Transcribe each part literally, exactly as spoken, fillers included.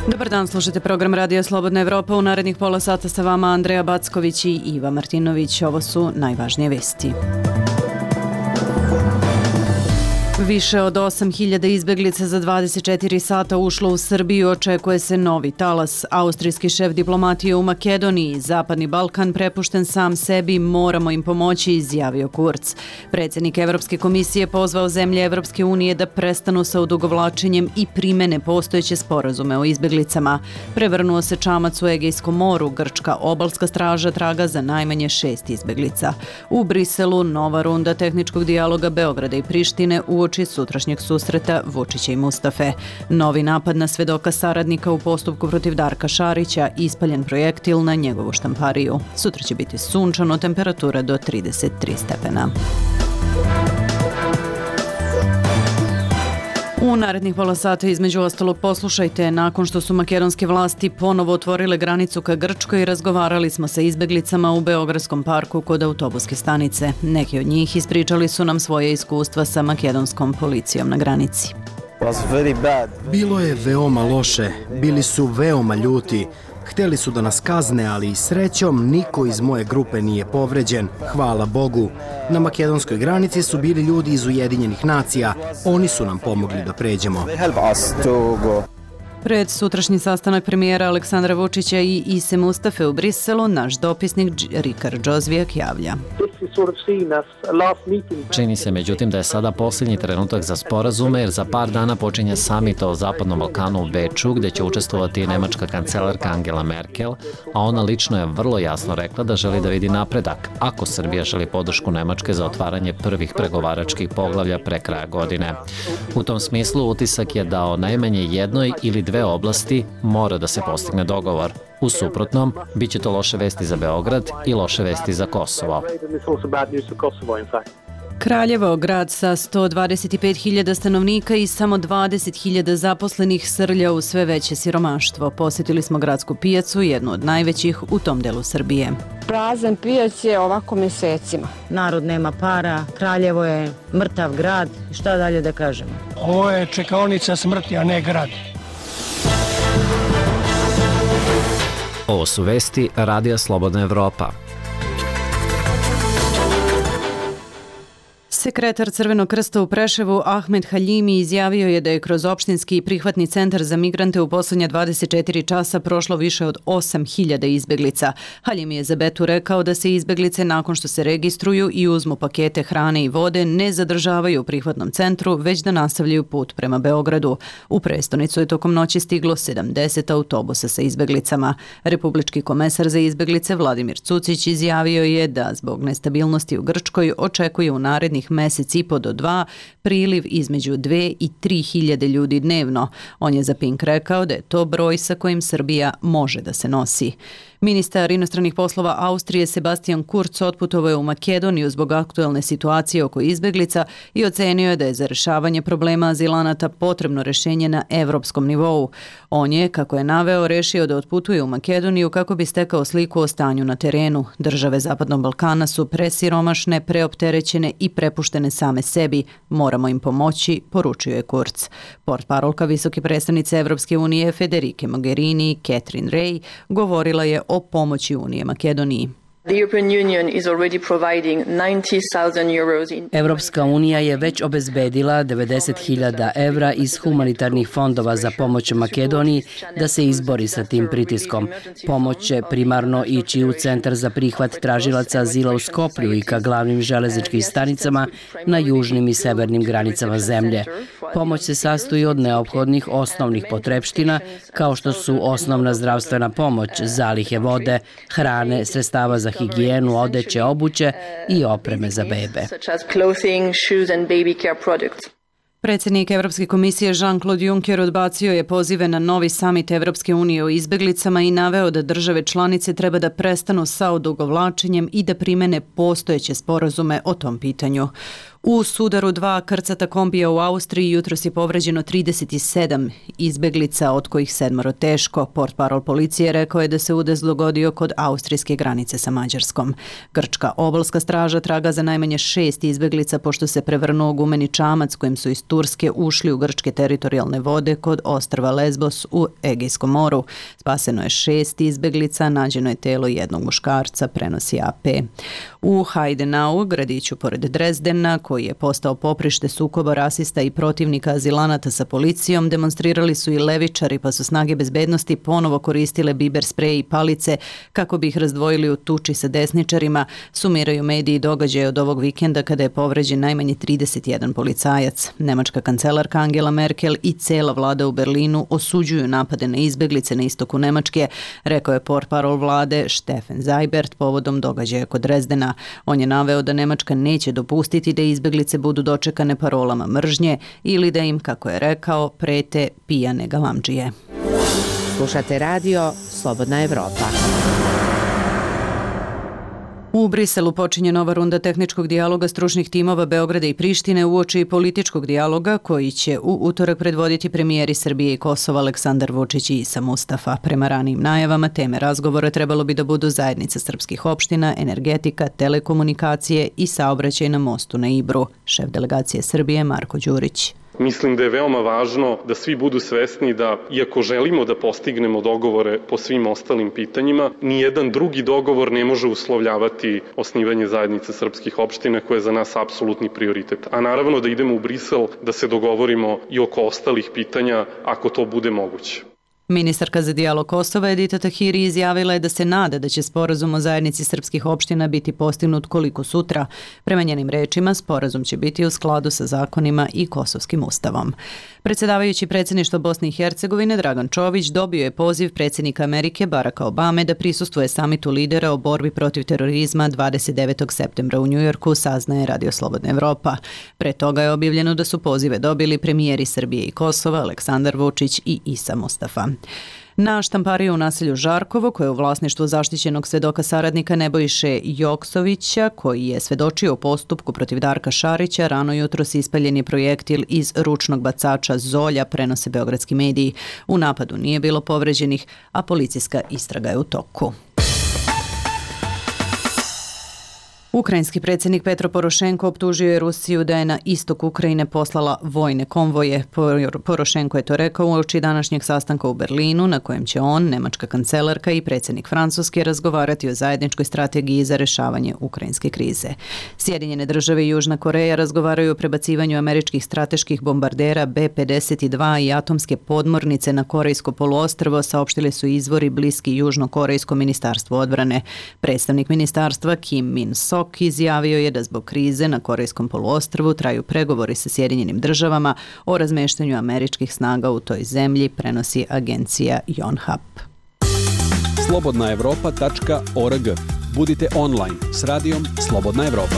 Dobar dan, slušate program Radija Slobodna Evropa. U narednih pola sata sa vama Andreja Backović i Iva Martinović. Ovo su najvažnije vesti. Više od osam hiljada izbeglica za dvadeset četiri sata ušlo u Srbiju, očekuje se novi talas. Austrijski šef diplomatije u Makedoniji, Zapadni Balkan prepušten sam sebi, moramo im pomoći, izjavio Kurz. Predsjednik Evropske komisije pozvao zemlje Evropske unije da prestanu sa odugovlačenjem i primene postojeće sporazume o izbeglicama. Prevrnuo se čamac u Egejskom moru, grčka obalska straža traga za najmanje šest izbeglica. U Briselu nova runda tehničkog dijaloga Beograda i Prištine uoči sutrašnjeg susreta Vučića i Mustafe. Novi napad na svedoka saradnika u postupku protiv Darka Šarića, ispaljen projektil na njegovu štampariju. Sutra će biti sunčano, temperatura do trideset tri stepena. U narednih pola sata između ostalog poslušajte, nakon što su makedonske vlasti ponovo otvorile granicu ka Grčkoj, razgovarali smo sa izbeglicama u Beogradskom parku kod autobuske stanice. Neki od njih ispričali su nam svoje iskustva sa makedonskom policijom na granici. Bilo je veoma loše, bili su veoma ljuti. Hteli su da nas kazne, ali srećom niko iz moje grupe nije povređen, hvala Bogu. Na makedonskoj granici su bili ljudi iz Ujedinjenih nacija, oni su nam pomogli da pređemo. Pred sutrašnji sastanak premijera Aleksandra Vučića i Ise Mustafe u Briselu, naš dopisnik Rikard Džozvijak javlja. Čini se međutim da je sada posljednji trenutak za sporazume, jer za par dana počinje samit o Zapadnom Balkanu u Beču, gdje će učestvovati nemačka kancelarka Angela Merkel, a ona lično je vrlo jasno rekla da želi da vidi napredak, ako Srbija želi podršku Nemačke za otvaranje prvih pregovaračkih poglavlja pre kraja godine. U tom smislu utisak je da o najmanje jednoj ili dve oblasti mora da se postigne dogovor. U suprotnom, bit će to loše vesti za Beograd i loše vesti za Kosovo. Kraljevo, grad sa sto dvadeset pet hiljada stanovnika i samo dvadeset hiljada zaposlenih, srlja u sve veće siromaštvo. Posjetili smo gradsku pijacu, jednu od najvećih u tom delu Srbije. Prazan pijac je ovako mesecima. Narod nema para, Kraljevo je mrtav grad, šta dalje da kažemo? Ovo je čekaonica smrti, a ne grad. Ovo su vesti Radija Slobodna Evropa. Sekretar Crvenog krsta u Preševu Ahmed Haljimi izjavio je da je kroz opštinski prihvatni centar za migrante u posljednja dvadeset četiri časa prošlo više od osam hiljada izbeglica. Haljimi je za Betu rekao da se izbeglice nakon što se registruju i uzmu pakete hrane i vode ne zadržavaju u prihvatnom centru, već da nastavljaju put prema Beogradu. U prestonicu je tokom noći stiglo sedamdeset autobusa sa izbeglicama. Republički komesar za izbeglice Vladimir Cucić izjavio je da zbog nestabilnosti u Grčkoj očekuje u narednih mesec i po do dva priliv između dve i tri hiljade ljudi dnevno. On je za Pink rekao da je to broj sa kojim Srbija može da se nosi. Ministar inostranih poslova Austrije Sebastian Kurz otputovao je u Makedoniju zbog aktuelne situacije oko izbeglica i ocenio je da je za rešavanje problema azilanata potrebno rešenje na evropskom nivou. On je, kako je naveo, rešio da otputuje u Makedoniju kako bi stekao sliku o stanju na terenu. Države Zapadnog Balkana su presiromašne, preopterećene i prepuštene same sebi. Moramo im pomoći, poručio je Kurz. Portparolka visoke predstavnice Evropske unije Federike Mogherini, Catherine Ray, govorila je o pomoći Unije Makedoniji. Evropska unija je već obezbedila devedeset hiljada evra iz humanitarnih fondova za pomoć Makedoniji da se izbori sa tim pritiskom. Pomoć će primarno ići u centar za prihvat tražilaca azila u Skoplju i ka glavnim železničkim stanicama na južnim i severnim granicama zemlje. Pomoć se sastoji od neophodnih osnovnih potrepština, kao što su osnovna zdravstvena pomoć, zalihe vode, hrane, sredstava za higijenu, odeće, obuće i opreme za bebe. Predsjednik Evropske komisije Jean-Claude Juncker odbacio je pozive na novi samit Evropske unije o izbeglicama i naveo da države članice treba da prestanu sa odugovlačenjem i da primene postojeće sporazume o tom pitanju. U sudaru dva krcata kombija u Austriji jutros je povređeno trideset sedam izbeglica, od kojih sedmoro teško. Portparol policije rekao je da se udes dogodio kod austrijske granice sa Mađarskom. Grčka obalska straža traga za najmanje šest izbeglica pošto se prevrnuo gumeni čamac kojim su iz Turske ušli u grčke teritorijalne vode kod ostrva Lesbos u Egejskom moru. Spaseno je šest izbeglica, nađeno je telo jednog muškarca, prenosi A P. U Heidenau, gradiću pored Drezdena, koji je postao poprište sukoba rasista i protivnika azilanata sa policijom, demonstrirali su i levičari, pa su snage bezbednosti ponovo koristile biber sprej i palice kako bi ih razdvojili u tuči sa desničarima, sumiraju mediji događaje od ovog vikenda kada je povređen najmanje trideset jedan policajac. Nemačka kancelarka Angela Merkel i cela vlada u Berlinu osuđuju napade na izbeglice na istoku Nemačke, rekao je portparol vlade Steffen Seibert povodom događaja kod Drezdena. On je naveo da Nemačka neće dopustiti da izbeglice budu dočekane parolama mržnje ili da im, kako je rekao, prete pijane galamdžije. Slušate radio Slobodna Evropa. U Briselu počinje nova runda tehničkog dijaloga stručnih timova Beograda i Prištine uoči političkog dijaloga koji će u utorak predvoditi premijeri Srbije i Kosova Aleksandar Vučić i Isa Mustafa. Prema ranijim najavama teme razgovora trebalo bi da budu zajednica srpskih opština, energetika, telekomunikacije i saobraćaj na mostu na Ibru. Šef delegacije Srbije Marko Đurić. Mislim da je veoma važno da svi budu svesni da, iako želimo da postignemo dogovore po svim ostalim pitanjima, nijedan drugi dogovor ne može uslovljavati osnivanje zajednice srpskih opština koja je za nas apsolutni prioritet. A naravno da idemo u Brisel da se dogovorimo i oko ostalih pitanja ako to bude moguće. Ministarka za dijalog Kosova Edita Tahiri izjavila je da se nada da će sporazum o zajednici srpskih opština biti postignut koliko sutra. Prema njenim rečima, sporazum će biti u skladu sa zakonima i kosovskim ustavom. Predsjedavajući predsjedništvo Bosne i Hercegovine Dragan Čović dobio je poziv predsjednika Amerike Baracka Obame da prisustvuje samitu lidera o borbi protiv terorizma dvadeset devetog septembra u Njujorku, saznaje Radio Slobodna Evropa. Pre toga je objavljeno da su pozive dobili premijeri Srbije i Kosova Aleksandar Vučić i Isa Mustafa. Na štampariju u naselju Žarkovo, koje je u vlasništvu zaštićenog svedoka saradnika Nebojše Joksovića, koji je svedočio u postupku protiv Darka Šarića, rano jutros ispaljen je projektil iz ručnog bacača Zolja, prenose beogradski mediji. U napadu nije bilo povređenih, a policijska istraga je u toku. Ukrajinski predsjednik Petro Porošenko optužio je Rusiju da je na istok Ukrajine poslala vojne konvoje. Porošenko je to rekao uoči današnjeg sastanka u Berlinu, na kojem će on, nemačka kancelarka i predsjednik Francuske razgovarati o zajedničkoj strategiji za rešavanje ukrajinske krize. Sjedinjene države i Južna Koreja razgovaraju o prebacivanju američkih strateških bombardera B pedeset dva i atomske podmornice na Korejsko poluostrvo, saopštili su izvori bliski Južno-korejskom ministarstvu odbrane. Predstavnik ministarstva Kim Min-sok izjavio je da zbog krize na Korejskom poluostrvu traju pregovori sa Sjedinjenim državama o razmeštanju američkih snaga u toj zemlji, prenosi agencija Yonhap. slobodna evropa tačka org. Budite online s radijom Slobodna Evropa.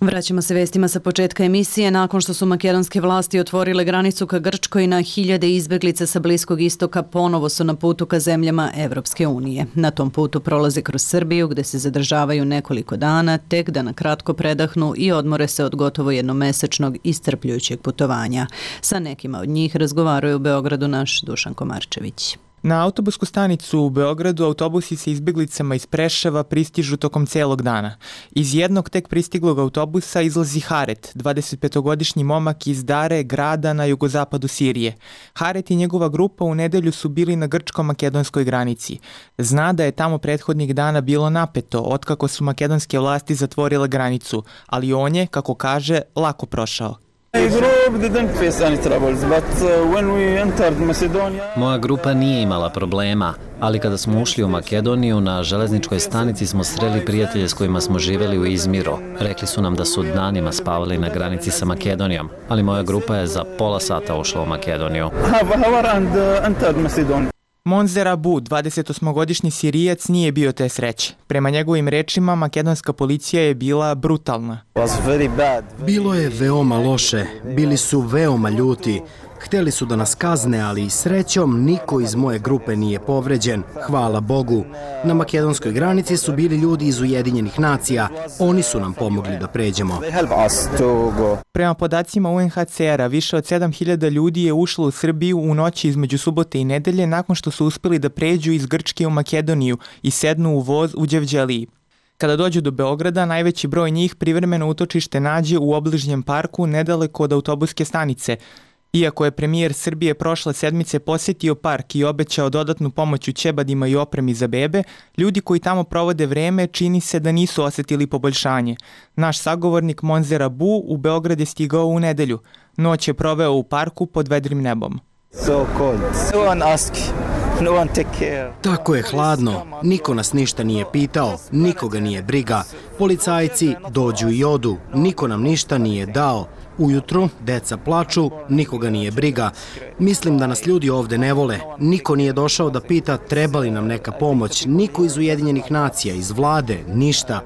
Vraćamo se vestima sa početka emisije. Nakon što su makedonske vlasti otvorile granicu ka Grčkoj, na hiljade izbeglica sa Bliskog istoka ponovo su na putu ka zemljama Evropske unije. Na tom putu prolaze kroz Srbiju, gde se zadržavaju nekoliko dana, tek da na kratko predahnu i odmore se od gotovo jednomesečnog iscrpljujućeg putovanja. Sa nekima od njih razgovaraju u Beogradu naš Dušan Komarčević. Na autobusku stanicu u Beogradu autobusi sa izbeglicama iz Preševa pristižu tokom celog dana. Iz jednog tek pristiglog autobusa izlazi Haret, dvadesetpetogodišnji momak iz Dare, grada na jugozapadu Sirije. Haret i njegova grupa u nedelju su bili na grčko-makedonskoj granici. Zna da je tamo prethodnih dana bilo napeto, otkako su makedonske vlasti zatvorile granicu, ali on je, kako kaže, lako prošao. Moja grupa nije imala problema, ali kada smo ušli u Makedoniju, na železničkoj stanici smo sreli prijatelje s kojima smo živjeli u Izmiru. Rekli su nam da su danima spavali na granici sa Makedonijom, ali moja grupa je za pola sata ušla u Makedoniju. Monzer Abu, dvadesetosmogodišnji Sirijac, nije bio te sreće. Prema njegovim rečima, makedonska policija je bila brutalna. Bilo je veoma loše, bili su veoma ljuti. Hteli su da nas kazne, ali srećom niko iz moje grupe nije povređen. Hvala Bogu. Na makedonskoj granici su bili ljudi iz Ujedinjenih nacija. Oni su nam pomogli da pređemo. Prema podacima U N H C R-a, više od sedam hiljada ljudi je ušlo u Srbiju u noći između subote i nedelje nakon što su uspeli da pređu iz Grčke u Makedoniju i sednu u voz u Đevđeliji. Kada dođu do Beograda, najveći broj njih privremeno utočište nađe u obližnjem parku nedaleko od autobuske stanice. Iako je premijer Srbije prošle sedmice posjetio park i obećao dodatnu pomoć u ćebadima i opremi za bebe, ljudi koji tamo provode vreme čini se da nisu osjetili poboljšanje. Naš sagovornik Monzer Abu u Beograd je stigao u nedelju. Noć je proveo u parku pod vedrim nebom. So cold. No one ask. No one take care. Tako je hladno. Niko nas ništa nije pitao, nikoga nije briga. Policajci dođu i odu, niko nam ništa nije dao. Ujutru deca plaču, nikoga nije briga. Mislim da nas ljudi ovde ne vole. Niko nije došao da pita treba li nam neka pomoć. Niko iz Ujedinjenih nacija, iz vlade, ništa.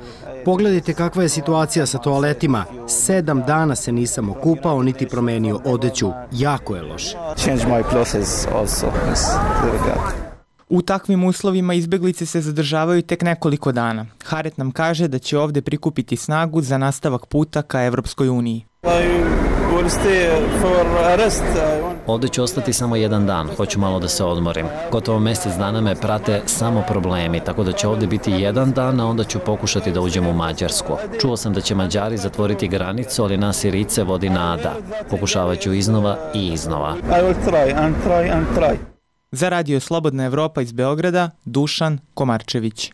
Pogledajte kakva je situacija sa toaletima. Sedam dana se nisam okupao niti promenio odeću. Jako je loše. U takvim uslovima izbeglice se zadržavaju tek nekoliko dana. Haret nam kaže da će ovde prikupiti snagu za nastavak puta ka Evropskoj uniji. Ovde ću ostati samo jedan dan, hoću malo da se odmorim. Gotovo mjesec dana me prate samo problemi, tako da će ovde biti jedan dan, a onda ću pokušati da uđem u Mađarsku. Čuo sam da će Mađari zatvoriti granicu, ali nas Sirice vodi nada. Pokušavat ću iznova i iznova. Za radio Slobodna Evropa iz Beograda, Dušan Komarčević.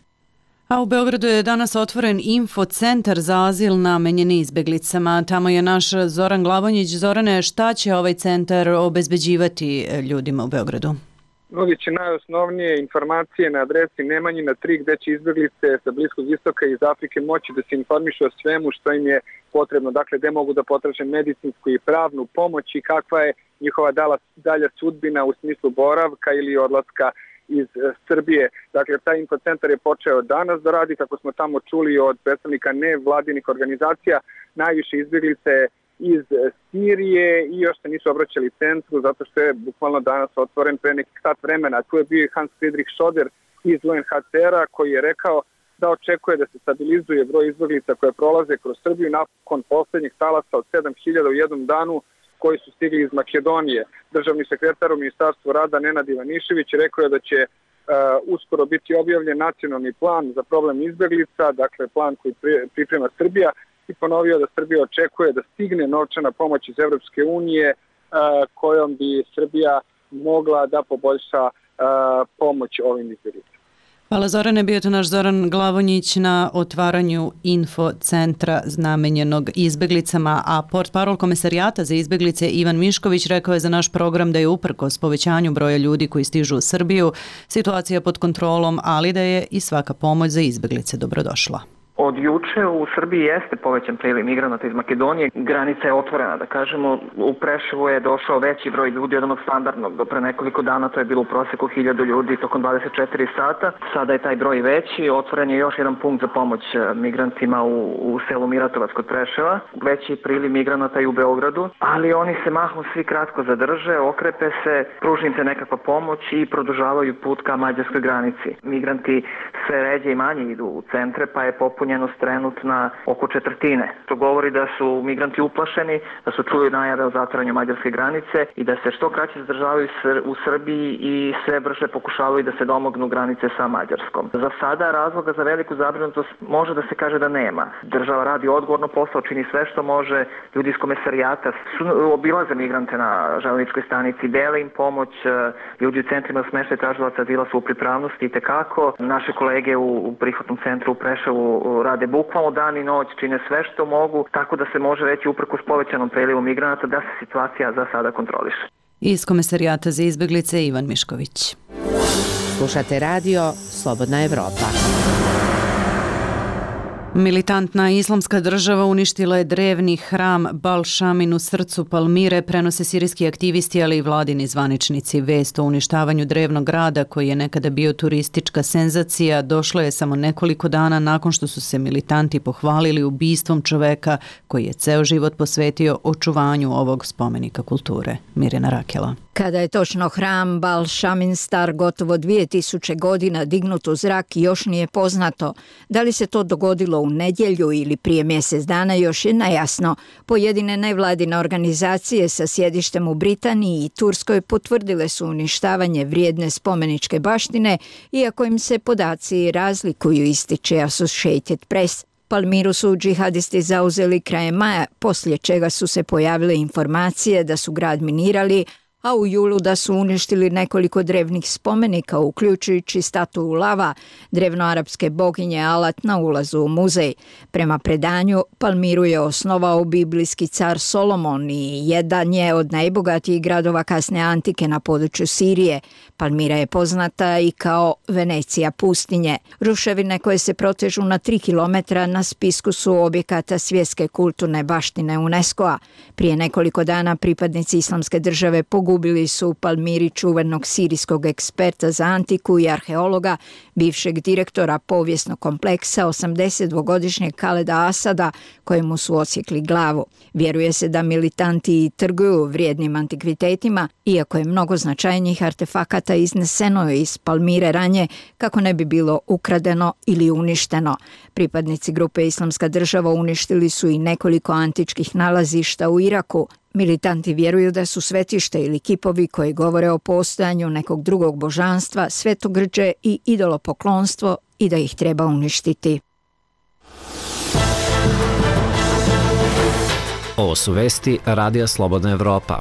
A u Beogradu je danas otvoren infocentar za azil namenjen izbeglicama. Tamo je naš Zoran Glavonjić. Zorane, šta će ovaj centar obezbeđivati ljudima u Beogradu? Nudit će najosnovnije informacije na adresi Nemanjina tri gde će izbeglice sa Bliskog istoka i iz Afrike moći da se informišu o svemu što im je potrebno. Dakle, gde mogu da potraže medicinsku i pravnu pomoć i kakva je njihova dalja sudbina u smislu boravka ili odlaska iz Srbije. Dakle, taj infocentar je počeo danas da radi, kako smo tamo čuli od predstavnika nevladinih organizacija, najviše izbjeglice iz Sirije i još se nisu obraćali centru zato što je bukvalno danas otvoren pre nekih sat vremena. Tu je bio i Hans Friedrich Schoder iz U N H C R-a koji je rekao da očekuje da se stabilizuje broj izbjeglica koje prolaze kroz Srbiju nakon poslednjih talasa od sedam hiljada u jednom danu koji su stigli iz Makedonije. Državni sekretar u Ministarstvu rada Nenad Ivanišević rekao je da će uh, uskoro biti objavljen nacionalni plan za problem izbjeglica, dakle plan koji priprema Srbija, i ponovio da Srbija očekuje da stigne novčana pomoć iz Evropske unije uh, kojom bi Srbija mogla da poboljša uh, pomoć ovim izbjeglicama. Hvala Zorane, bio to naš Zoran Glavonjić na otvaranju infocentra namenjenog izbeglicama, a portparol Komesarijata za izbeglice Ivan Mišković rekao je za naš program da je uprkos povećanju broja ljudi koji stižu u Srbiju situacija pod kontrolom, ali da je i svaka pomoć za izbeglice dobrodošla. Od juče u Srbiji jeste povećan priliv migranata iz Makedonije. Granica je otvorena, da kažemo. U Preševu je došao veći broj ljudi od onog standardnog. Do pre nekoliko dana to je bilo u proseku hiljadu ljudi tokom dvadeset četiri sata. Sada je taj broj veći. Otvoren je još jedan punkt za pomoć migrantima u, u selu Miratovac kod Preševa. Veći priliv migranata i u Beogradu, ali oni se mahom svi kratko zadrže, okrepe se, pruži im se nekakva pomoć i produžavaju put ka mađarskoj granici. Migranti sve ređe i manje idu u centre, pa je popunjen trenutna oko četvrtine. To govori da su migranti uplašeni, da su čuli najave o zatvaranju mađarske granice i da se što kraće zadržavaju u Srbiji i sve brže pokušavaju da se domognu granice sa Mađarskom. Za sada razloga za veliku zabrinutost može da se kaže da nema. Država radi odgovorno posao, čini sve što može. Ljudi iz Komesarijata su obilaze migrante na železničkoj stanici, dele im pomoć. Ljudi u centrima smeštaja tražilaca azila su u pripravnosti i tekako. Naše kolege u prihvatnom centru u Preševu rade bukvalno dan i noć, čine sve što mogu, tako da se može reći uprkos povećanom prilivu migranata da se situacija za sada kontroliše. Iz Komesarijata za izbeglice Ivan Mišković. Slušate radio Slobodna Evropa. Militantna islamska država uništila je drevni hram Bal Shamin u srcu Palmire, prenose sirijski aktivisti, ali i vladini zvaničnici. Vest o uništavanju drevnog grada, koji je nekada bio turistička senzacija, došlo je samo nekoliko dana nakon što su se militanti pohvalili ubistvom čoveka koji je ceo život posvetio očuvanju ovog spomenika kulture. Mirjana Rakela. Kada je točno hram Bal Shamin star gotovo dvije tisuće godina dignut u zrak, još nije poznato. Da li se to dogodilo u nedjelju ili prije mjesec dana, još je nejasno. Pojedine nevladine organizacije sa sjedištem u Britaniji i Turskoj potvrdile su uništavanje vrijedne spomeničke baštine, iako im se podaci razlikuju, ističe Associated Press. Palmiru su džihadisti zauzeli krajem maja, poslije čega su se pojavile informacije da su grad minirali, a u julu da su uništili nekoliko drevnih spomenika, uključujući statue lava, drevnoarapske boginje Alat na ulazu u muzej. Prema predanju, Palmiru je osnovao biblijski car Solomon i jedan je od najbogatijih gradova kasne antike na području Sirije. Palmira je poznata i kao Venecija pustinje. Ruševine koje se protežu na tri kilometra na spisku su objekata svjetske kulturne baštine UNESCO-a. Prije nekoliko dana pripadnici islamske države pogubili su u Palmiri čuvenog sirijskog eksperta za antiku i arheologa, bivšeg direktora povijesnog kompleksa, osamdesetdvogodišnjeg Khaleda Asada, kojemu su odsjekli glavu. Vjeruje se da militanti trguju vrijednim antikvitetima, iako je mnogo značajnijih artefakata izneseno iz Palmire ranje kako ne bi bilo ukradeno ili uništeno. Pripadnici grupe Islamska država uništili su i nekoliko antičkih nalazišta u Iraku. Militanti vjeruju da su svetište ili kipovi koji govore o postojanju nekog drugog božanstva, svetogrđe i idolopoklonstvo i da ih treba uništiti. Ovo su vesti Radija Slobodna Evropa.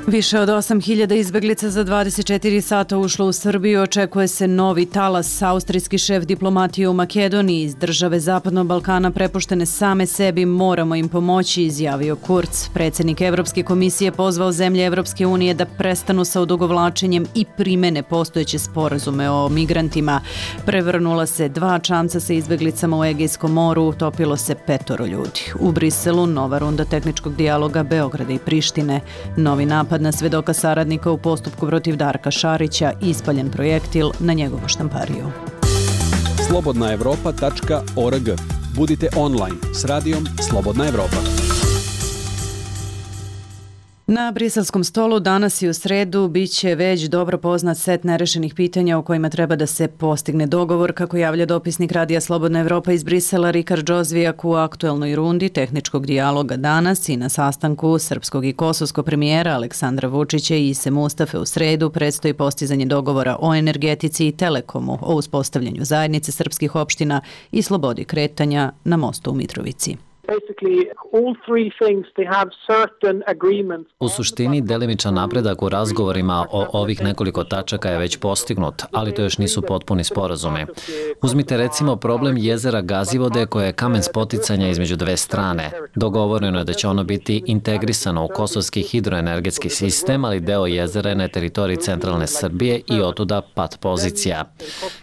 Više od osam hiljada izbeglica za dvadeset četiri sata ušlo u Srbiju. Očekuje se novi talas. Austrijski šef diplomatije u Makedoniji iz države Zapadnog Balkana prepuštene same sebi, moramo im pomoći, izjavio Kurz. Predsjednik Evropske komisije pozvao zemlje Evropske unije da prestanu sa odugovlačenjem i primene postojeće sporazume o migrantima. Prevrnula se dva čamca sa izbeglicama u Egejskom moru, utopilo se petoro ljudi. U Briselu nova runda tehničkog dijaloga Beograda i Prištine. Novi napad na svedoka saradnika u postupku protiv Darka Šarića, ispaljen projektil na njegovu štampariju. slobodna evropa tačka org. Budite online s radijom Slobodna Evropa. Na briselskom stolu danas i u sredu bit će već dobro poznat set nerešenih pitanja o kojima treba da se postigne dogovor, kako javlja dopisnik Radija Slobodna Evropa iz Brisela Rikard Džozvijak u aktuelnoj rundi tehničkog dijaloga danas i na sastanku srpskog i kosovskog premijera Aleksandra Vučića i Ise Mustafe u sredu predstoji postizanje dogovora o energetici i telekomu, o uspostavljanju zajednice srpskih opština i slobodi kretanja na mostu u Mitrovici. U suštini, delimičan napredak u razgovorima o ovih nekoliko tačaka je već postignut, ali to još nisu potpuni sporazumi. Uzmite recimo problem jezera Gazivode, koje je kamen spoticanja između dve strane. Dogovoreno je da će ono biti integrisano u kosovski hidroenergetski sistem, ali deo jezera je na teritoriji centralne Srbije i otuda pat pozicija.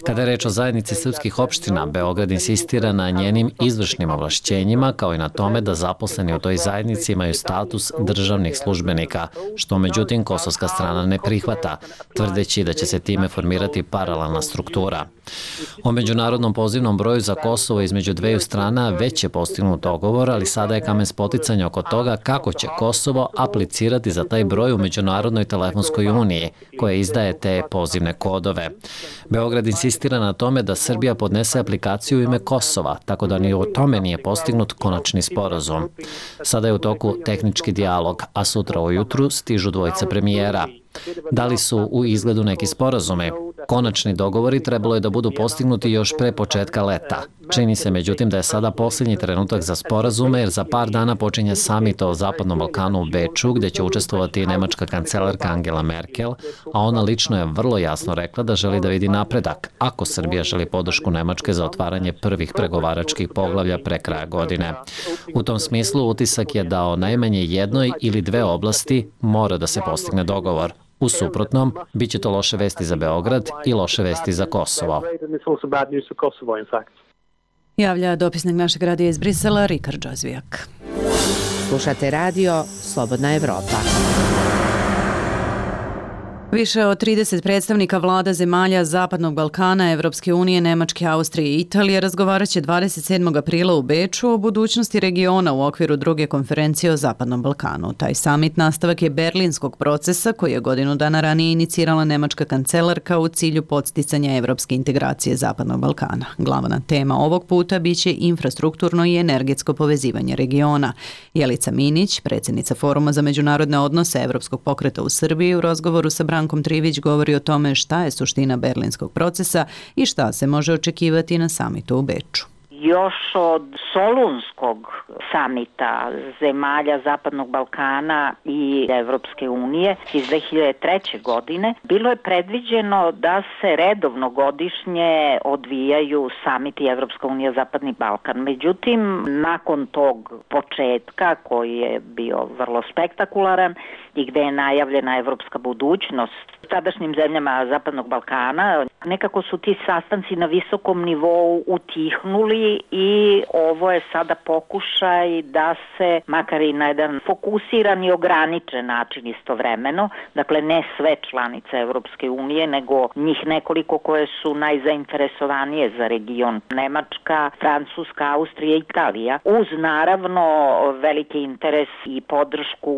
Kada je reč o zajednici srpskih opština, Beograd insistira na njenim izvršnim ovlašćenjima, kao i na tome da zaposleni u toj zajednici imaju status državnih službenika, što međutim kosovska strana ne prihvata, tvrdeći da će se time formirati paralelna struktura. O međunarodnom pozivnom broju za Kosovo između dveju strana već je postignut dogovor, ali sada je kamen spoticanja oko toga kako će Kosovo aplicirati za taj broj u Međunarodnoj telefonskoj uniji, koja izdaje te pozivne kodove. Beograd insistira na tome da Srbija podnese aplikaciju u ime Kosova, tako da ni o tome nije postignut konačni sporazum. Sada je u toku tehnički dijalog, a sutra ujutru stižu dvojica premijera. Da li su u izgledu neki sporazumi? Konačni dogovori trebalo je da budu postignuti još pre početka leta. Čini se međutim da je sada posljednji trenutak za sporazume, jer za par dana počinje samit o Zapadnom Balkanu u Beču, gde će učestvovati nemačka kancelarka Angela Merkel, a ona lično je vrlo jasno rekla da želi da vidi napredak, ako Srbija želi podršku Nemačke za otvaranje prvih pregovaračkih poglavlja pre kraja godine. U tom smislu utisak je da o najmanje jednoj ili dve oblasti mora da se postigne dogovor. U suprotnom, bit će to loše vesti za Beograd i loše vesti za Kosovo. Javlja dopisnik našeg radija iz Brisela, Rikard Džozvijak. Slušate radio Slobodna Evropa. Više od trideset predstavnika vlada zemalja Zapadnog Balkana, Evropske unije, Nemačke, Austrije i Italije razgovarat će dvadeset sedmog aprila u Beču o budućnosti regiona u okviru druge konferencije o Zapadnom Balkanu. Taj samit nastavak je berlinskog procesa koji je godinu dana ranije inicirala nemačka kancelarka u cilju podsticanja evropske integracije Zapadnog Balkana. Glavna tema ovog puta biće infrastrukturno i energetsko povezivanje regiona. Jelica Minić, predsjednica Foruma za međunarodne odnose Evropskog pokreta u Srbiji, u razgovoru sa Brankom Trivić govori o tome šta je suština berlinskog procesa i šta se može očekivati na samitu u Beču. Još od Solunskog samita zemalja Zapadnog Balkana i Evropske unije iz dve hiljade treće. godine bilo je predviđeno da se redovno godišnje odvijaju samiti Evropska unija Zapadni Balkan. Međutim, nakon tog početka koji je bio vrlo spektakularan i gde je najavljena evropska budućnost tadašnjim zemljama Zapadnog Balkana, nekako su ti sastanci na visokom nivou utihnuli i ovo je sada pokušaj da se, makar i na jedan fokusiran i ograničen način istovremeno, dakle ne sve članice Evropske unije, nego njih nekoliko koje su najzainteresovanije za region, Nemačka, Francuska, Austrija i Italija, uz naravno veliki interes i podršku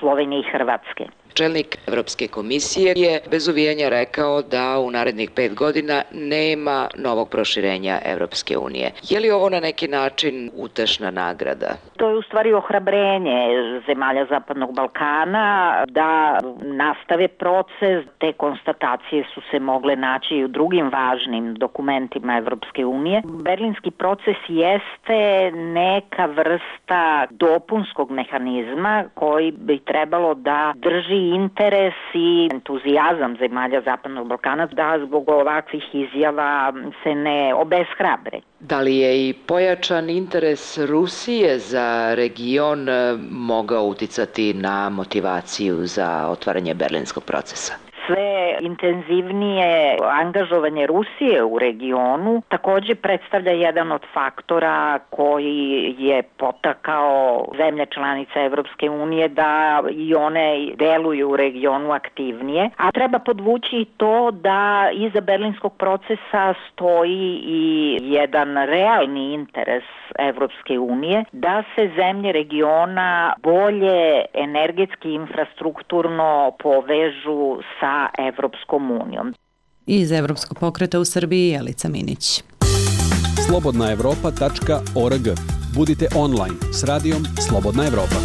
Slovenije i Hrvatske. Čelnik Evropske komisije je bez uvijanja rekao da u narednih pet godina nema novog proširenja Evropske unije. Je li ovo na neki način utešna nagrada? To je u stvari ohrabrenje zemalja Zapadnog Balkana da nastave proces. Te konstatacije su se mogle naći i u drugim važnim dokumentima Evropske unije. Berlinski proces jeste neka vrsta dopunskog mehanizma koji bi trebalo da drži interes i entuzijazam zemalja Zapadnog Balkana da zbog ovakvih izjava se ne obeshrabre. Da li je i pojačan interes Rusije za region mogao uticati na motivaciju za otvaranje berlinskog procesa? Sve intenzivnije angažovanje Rusije u regionu takođe predstavlja jedan od faktora koji je potakao zemlje članice Evropske unije da i one deluju u regionu aktivnije. A treba podvući to da iza berlinskog procesa stoji i jedan realni interes Evropske unije da se zemlje regiona bolje energetski infrastrukturno povežu sa Evropskom unijom. Iz Evropskog pokreta u Srbiji Jelica Minić. slobodna evropa tačka org. Budite online s radijom Slobodna Evropa.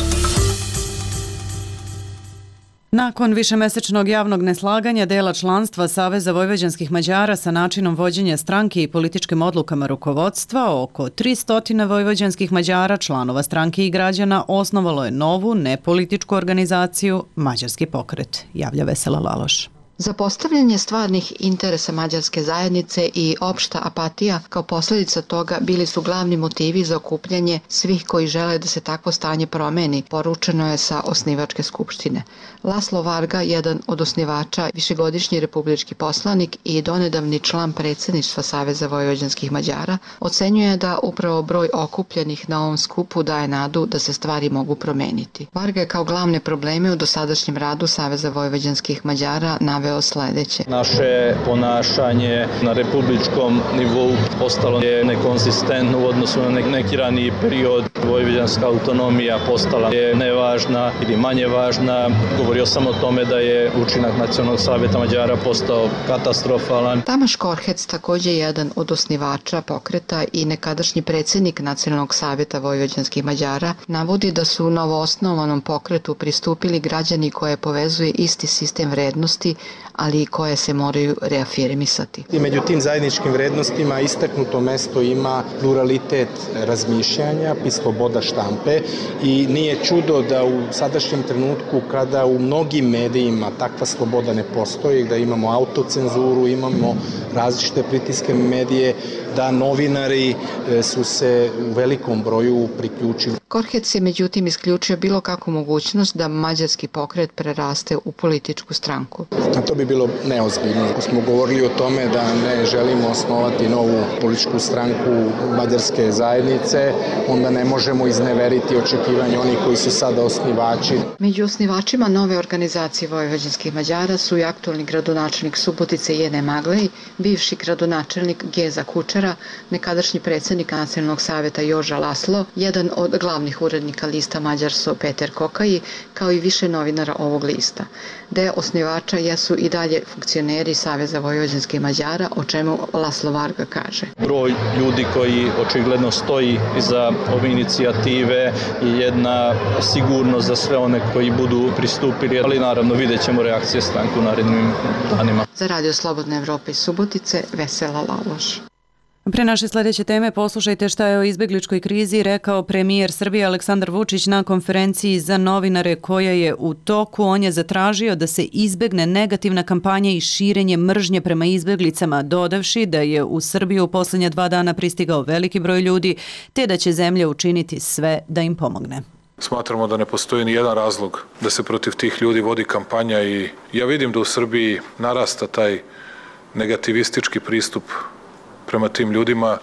Nakon višemesečnog javnog neslaganja dela članstva Saveza vojvođanskih Mađara sa načinom vođenja stranke i političkim odlukama rukovodstva, oko tristo vojvođanskih Mađara, članova stranke i građana, osnovalo je novu nepolitičku organizaciju Mađarski pokret, javlja Vesela Laloš. Zapostavljanje stvarnih interesa mađarske zajednice i opšta apatija kao posljedica toga bili su glavni motivi za okupljanje svih koji žele da se takvo stanje promeni, poručeno je sa osnivačke skupštine. Laslo Varga, jedan od osnivača, višegodišnji republički poslanik i donedavni član predsjedništva Saveza vojvođanskih Mađara, ocenjuje da upravo broj okupljenih na ovom skupu daje nadu da se stvari mogu promeniti. Varga je kao glavne probleme u dosadašnjem radu Saveza vojvođanskih Mađara naveo sledeće. Naše ponašanje na republičkom nivou postalo je nekonsistentno u odnosu na neki raniji period. Vojvođanska autonomija postala je nevažna ili manje važna. Govorio sam o tome da je učinak Nacionalnog savjeta Mađara postao katastrofalan. Tamaš Korhec, također jedan od osnivača pokreta i nekadašnji predsjednik Nacionalnog savjeta vojvođanskih Mađara, navodi da su novoosnovanom pokretu pristupili građani koje povezuje isti sistem vrednosti, ali i koje se moraju reafirmisati. I među tim zajedničkim vrednostima istaknuto mesto ima pluralitet razmišljanja i sloboda štampe i nije čudo da u sadašnjem trenutku kada u mnogim medijima takva sloboda ne postoji, da imamo autocenzuru, imamo različite pritiske medije, da novinari su se u velikom broju priključili. Korhec je međutim isključio bilo kakvu mogućnost da mađarski pokret preraste u političku stranku. A to bi bilo neozbiljno. Ako smo govorili o tome da ne želimo osnovati novu političku stranku mađarske zajednice, onda ne možemo izneveriti očekivanje onih koji su sada osnivači. Među osnivačima nove organizacije vojvođanskih Mađara su i aktualni gradonačelnik Subotice Jene Maglej, bivši gradonačelnik Geza Kučera, nekadašnji predsjednik Nacionalnog savjeta Joža Laslo, jedan od glavnih urednika lista Mađarso Peter Kokaji, kao i više novinara ovog lista. Deo osnivača jesu i dalje funkcioneri Saveza vojvođanskih Mađara, o čemu Laslo Varga kaže. Broj ljudi koji očigledno stoji iza ove inicijative je jedna sigurnost za sve one koji budu pristupili, ali naravno vidjet ćemo reakcije stranke u narednim danima. Za Radio Slobodna Evropa iz Subotice, Vesela Laloš. Pre naše sledeće teme poslušajte šta je o izbegličkoj krizi rekao premijer Srbije Aleksandar Vučić na konferenciji za novinare koja je u toku. On je zatražio da se izbegne negativna kampanja i širenje mržnje prema izbeglicama, dodavši da je u Srbiju u posljednja dva dana pristigao veliki broj ljudi, te da će zemlja učiniti sve da im pomogne. Smatramo da ne postoji ni jedan razlog da se protiv tih ljudi vodi kampanja i ja vidim da u Srbiji narasta taj negativistički pristup prema tim ljudima,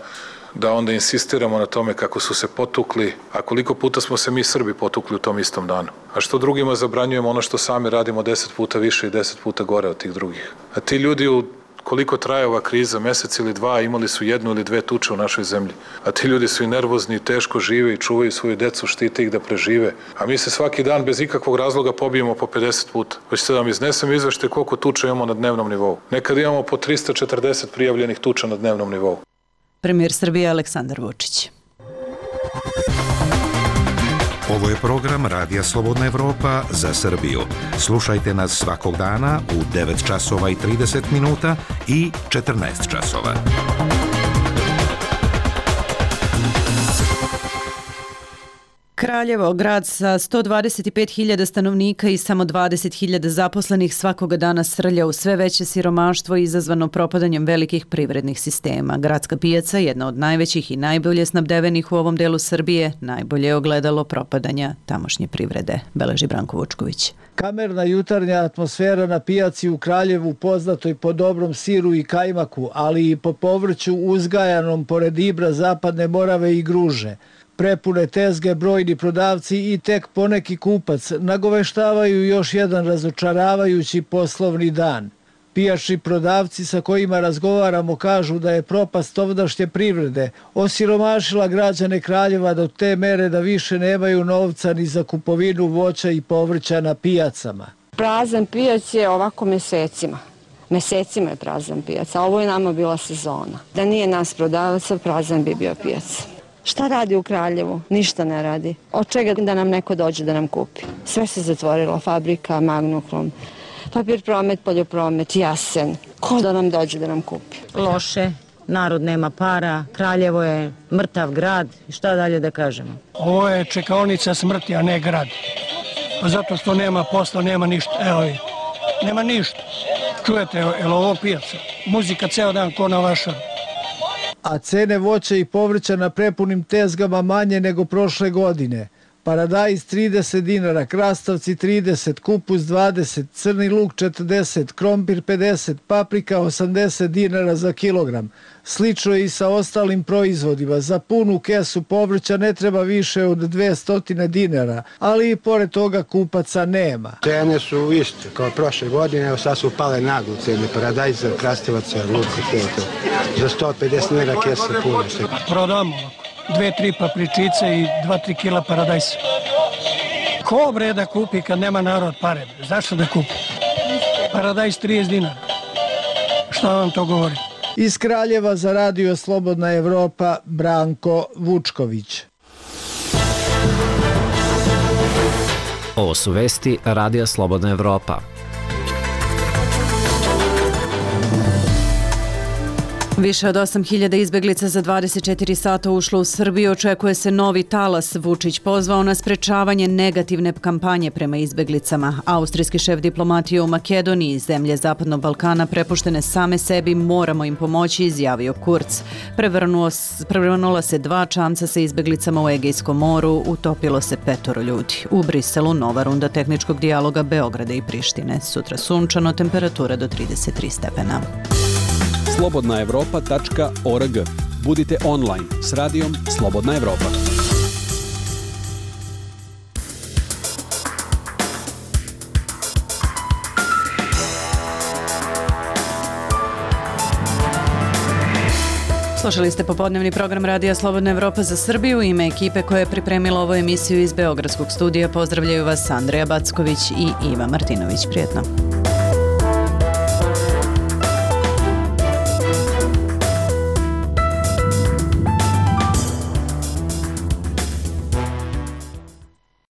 da onda insistiramo na tome kako su se potukli, a koliko puta smo se mi Srbi potukli u tom istom danu. A što drugima zabranjujemo ono što sami radimo deset puta više i deset puta gore od tih drugih. A ti ljudi, u koliko traje ova kriza, mesec ili dva, imali su jednu ili dve tuče u našoj zemlji. A ti ljudi su i nervozni, i teško žive i čuvaju svoju decu, štite ih da prežive. A mi se svaki dan bez ikakvog razloga pobijemo po pedeset puta. Hoćete da vam iznesem izvešte koliko tuča imamo na dnevnom nivou. Nekad imamo po trista četrdeset prijavljenih tuča na dnevnom nivou. Premijer Srbije Aleksandar Vučić. Ovo je program Radija Slobodna Evropa za Srbiju. Slušajte nas svakog dana u devet časova i trideset minuta i četrnaest časova. Kraljevo, grad sa sto dvadeset pet hiljada stanovnika i samo dvadeset hiljada zaposlenih, svakoga dana srlja u sve veće siromaštvo izazvano propadanjem velikih privrednih sistema. Gradska pijaca, jedna od najvećih i najbolje snabdevenih u ovom delu Srbije, najbolje je ogledalo propadanja tamošnje privrede, beleži Branko Vučković. Kamerna jutarnja atmosfera na pijaci u Kraljevu, poznatoj po dobrom siru i kajmaku, ali i po povrću uzgajanom pored Ibra, Zapadne Morave i Gruže. Prepune tezge, brojni prodavci i tek poneki kupac nagoveštavaju još jedan razočaravajući poslovni dan. Pijačni prodavci sa kojima razgovaramo kažu da je propast ovdašnje privrede osiromašila građane Kraljeva do te mere da više nemaju novca ni za kupovinu voća i povrća na pijacama. Prazan pijac je ovako mesecima. Mesecima je prazan pijac, a ovo je nama bila sezona. Da nije nas prodavaca, prazan bi bio pijac. Šta radi u Kraljevu? Ništa ne radi. Od čega da nam neko dođe da nam kupi? Sve se zatvorilo, fabrika, Magnoklon, papir promet, poljopromet, Jasen. Ko da nam dođe da nam kupi? Loše, narod nema para, Kraljevo je mrtav grad, šta dalje da kažemo? Ovo je čekaonica smrti, a ne grad. Zato što nema posla, nema ništa. Evo vi, nema ništa. Čujete, je li ovo pijaca? Muzika ceo dan ko na vašaru. A cene voća i povrća na prepunim tezgama manje nego prošle godine. Paradajz trideset dinara, krastavci trideset, kupus dvadeset, crni luk četrdeset, krompir pedeset, paprika osamdeset dinara za kilogram. Slično je i sa ostalim proizvodima. Za punu kesu povrća ne treba više od dvesta dinara, ali i pored toga kupaca nema. Cene su iste kao prošle godine, evo sad su pale naglo cene paradajza, krastavaca, luka, za sto pedeset dinara kesa puna. Prodamo dve, tri papričice i dva, tri kila paradajsa. Ko bre da kupi kad nema narod pare? Zašto da kupi? Paradajz trideset dinara. Šta vam to govori? Iz Kraljeva za Radio Slobodna Evropa, Branko Vučković. Ovo su vesti Radija Slobodna Evropa. Više od osam hiljada izbeglica za dvadeset četiri sata ušlo u Srbiju. Očekuje se novi talas. Vučić pozvao na sprečavanje negativne kampanje prema izbeglicama. Austrijski šef diplomatije u Makedoniji, zemlje Zapadnog Balkana prepuštene same sebi, moramo im pomoći, izjavio Kurz. Prevrnuo, prevrnula se dva čamca sa izbeglicama u Egejskom moru, utopilo se petoro ljudi. U Briselu nova runda tehničkog dijaloga Beograda i Prištine. Sutra sunčano, temperatura do trideset tri stepena. slobodna evropa tačka org. Budite online s radijom Slobodna Evropa. Slušali ste popodnevni program Radija Slobodna Evropa za Srbiju. Ime ekipe koja je pripremila ovu emisiju iz Beogradskog studija pozdravljaju vas Andreja Backović i Iva Martinović. Prijetno.